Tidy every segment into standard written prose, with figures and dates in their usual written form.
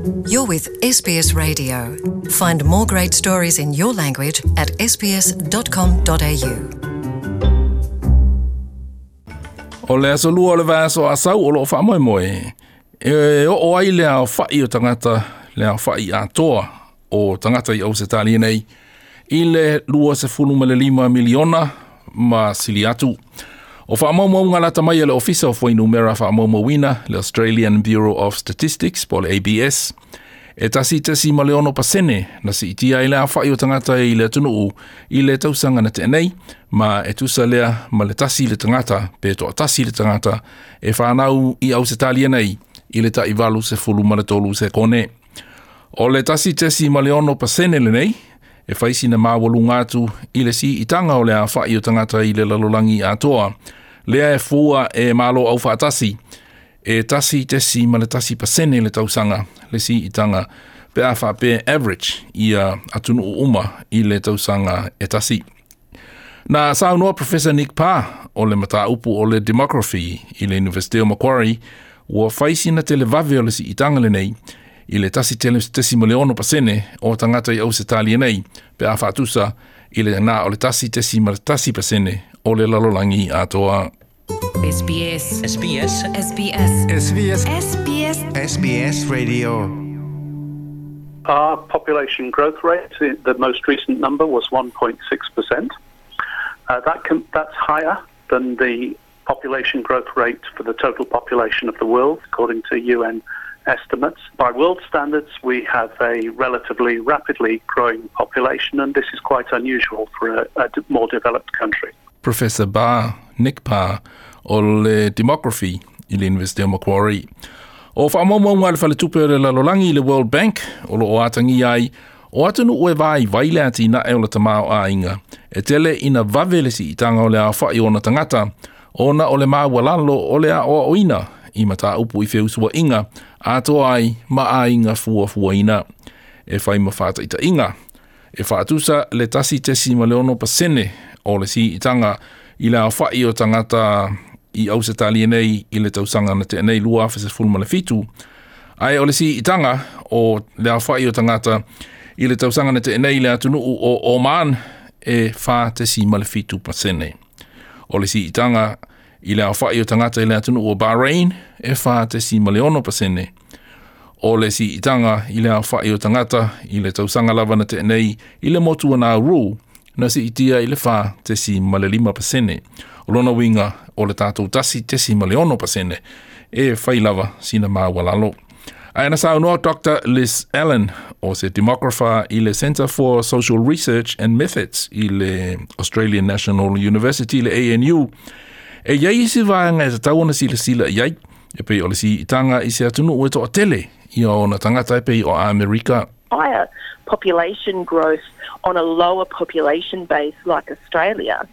You're with SBS Radio. Find more great stories in your language at sbs.com.au. O le aso lua o le vaiaso Asau o loo faamoemoe e oo ai le aofai o tagata le aofai atoa o tagata i Ausetalia nei i le 25 miliona ma sili atu. O faamaumauga lata mai a le Ofisa o Fuainumera Faamaumauina, le Australian Bureau of Statistics, po o le ABS, e 1.6% na siitia ai le aofai o tagata i le atunuu i le tausaga na tea nei, ma e tusa lea ma le tasi le tagata pe toatasi le tagata e fanau i Ausetalia nei i le tai 83 sekone. O le 1.6% lenei, e fai sina maualuga atu i le siitaga o le aofai o tagata i le lalolagi atoa, lea e fua e Malo Aufaatasi, e 1.1% le tausaga le siitaga pe a faapea average ia atunuu uma i le tausaga e tasi. Na saunoa Professor Nick Parr o le mataupu o le Demography i le Universite o Macquarie, ua fai sina televave o le siitaga lenei i le 1.6% o tagata i Ausetalia nei pe a faatusa i le na o le 1.1% o le lalolagi atoa. SBS. SBS. SBS. SBS. SBS. SBS Radio. Our population growth rate, the most recent number was 1.6%. That's higher than the population growth rate for the total population of the world, according to UN estimates. By world standards, we have a relatively rapidly growing population, and this is quite unusual for a more developed country. Professor Barr, Nick Parr, o le Demography i le Universite o Macquarie. O faamaumauga a le Faletupe o le Lalolagi i le World Bank o lo o atagia ai o atunuu e vaivai le atinae o le tamaoaiga e tele ina vave le siitaga o le aofai o ona tagata ona o le maualalo o le aoaoina i mataupu i feusuaiga atoa ai ma aiga fuafuaina. E fai ma faataitaiga, e faatusa le 1.6% o le siitaga i le aofai o tagata i Ausetalia nei i le tausaga na tea nei 2017, ae o le siitaga o le aofai o tagata i le tausaga na tea nei i le atunuu o Oman e 4.7%. O le siitaga i le aofai o tagata i le atunuu o Bahrain e 4.6%. O le siitaga i le aofai o tagata i le tausaga lava na tea nei i le motu o Nauru na siitia i le 4.5%. O lona uiga o le tatou 1.6% e fai lava sina maualalo. Ae na saunoa Doctor Liz Allen, o se demographer i le Centre for Social Research and Methods i le Australian National University, le ANU, e i ai isi vaega e tatau ona silasila i ai, e pei o le siitaga i se atunuu e toatele ia ona tagata e pei o Amerika. Higher population growth on a lower population base like Australia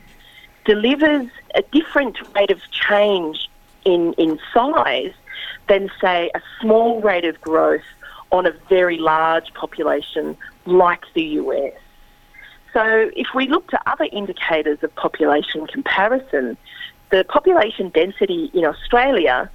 delivers a different rate of change in, in size than, say, a small rate of growth on a very large population like the US. So if we look to other indicators of population comparison, the population density in Australia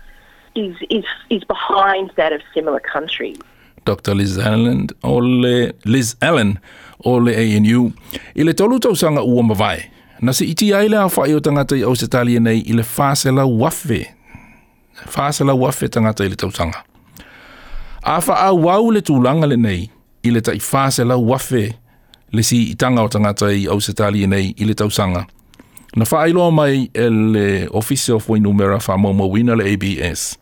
is, is, is behind that of similar countries. Dr. Liz Allen o le Liz Allen o le ANU. I le tolu tausaga ua mavae, na siitia ai le aofai o tagata i Ausetalia nei i le 400,000 400,000 tagata i le tausaga. A faaauau le tulaga lenei i le tai 400,000 le siitaga o tagata i Ausetalia nei i le tausaga, na faailoa mai e le Ofisa o Fuainumera Faamaumauina le ABS.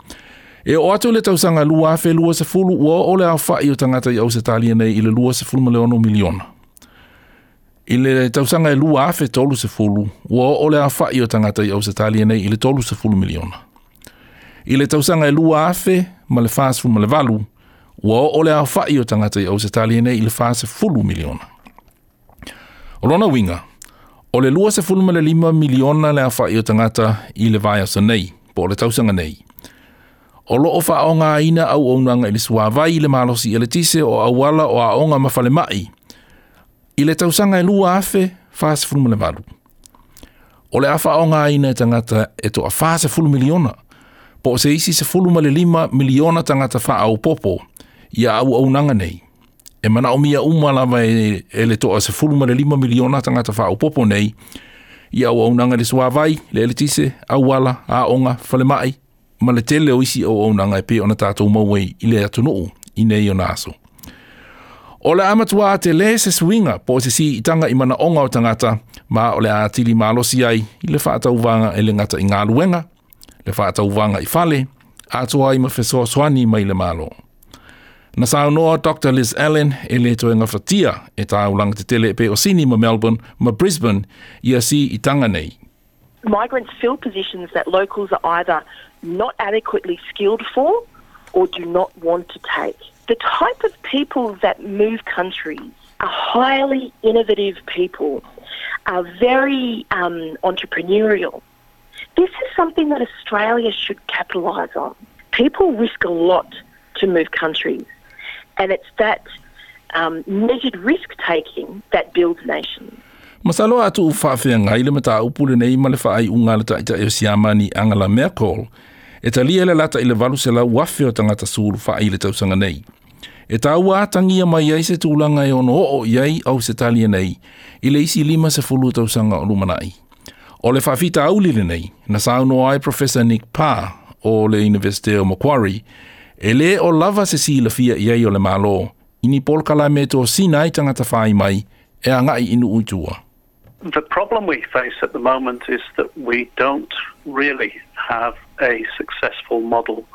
E oo atu i le tausaga 2020 ua oo le aofai o tagata i Ausetalia nei i le 26 miliona. I le tausaga e 2030, ua oo le aofai o tagata i Ausetalia nei i le 30 miliona. I le tausaga e 2048, ua oo le aofai o tagata i Ausetalia nei i le 40 miliona. O lona uiga, o le 25 miliona le aofai o tagata i le vaiaso nei, po o le tausaga nei. O lo o faaaogaina auaunaga i le suavai, le malosi eletise, o auala, o aoga ma falemai i le tausaga e 2048. O le a faaaogaina e tagata e toa 40 miliona, po o se isi 15 miliona tagata faaopoopo Ia auaunaga nei e manaʻomia uma lava e le 15 miliona tagata faaopopo nei i auaunaga i le suāvai, le eletise, auala, aoga, falemaʻi ma le tele o isi auaunaga e pei ona tatou maua ai i le atunuu i nei ona aso. O le a matuā telē se suiga po o se siitaga i manaʻoga o tagata ma o le a atili malosi ai i le faatauvaga e le gata i galuega, le faatauvaga i fale, atoa ai ma fesoasoani mai le Malo. Na saunoa Dr. Liz Allen e lē toe gafatia e taulaga tetele e pei o Sini ma Melbourne ma Brisbane ia siitaga nei. Migrants fill positions that locals are either not adequately skilled for or do not want to take. The type of people that move countries are highly innovative people, are very entrepreneurial. This is something that Australia should capitalise on. People risk a lot to move countries, and it's that measured risk taking that builds nations. Masalo a tuu faafeagai le mataupu lenei ma le faaiuga a le Taitai o Siamani Angela Merkel e talia le lata i le 800,000 o tagata sulufai i le tausaga nei. E taua atagia mai ai se tulaga e ono oo i ai Ausetalia nei i le isi 50 tausaga o lumanai. O le faafitauli lenei na saunoa ai Professor Nick Parr o le Universite o Macquarie e lē o lava se silafia i ai o le Malo i ni polokalame e tosina ai tagata fai mai e agaʻi i nuu i tua. The problem we face at the moment is that we don't really have a successful model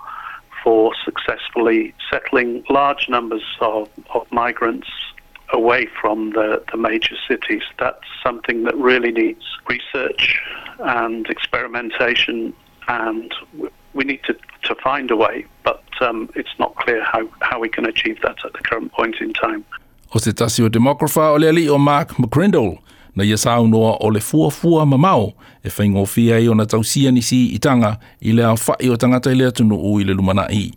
for successfully settling large numbers of migrants away from the major cities. That's something that really needs research and experimentation, and we need to find a way, but it's not clear how we can achieve that at the current point in time. O se tasi o demographer o le alii o Mark McCrindle na ia saunoa o le fuafua mamao e faigofie ai ona tausia ni siitaga i le aofaʻi o tagata i le atunuu i le lumanai.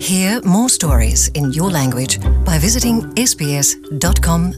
Hear more stories in your language by visiting sbs.com.au.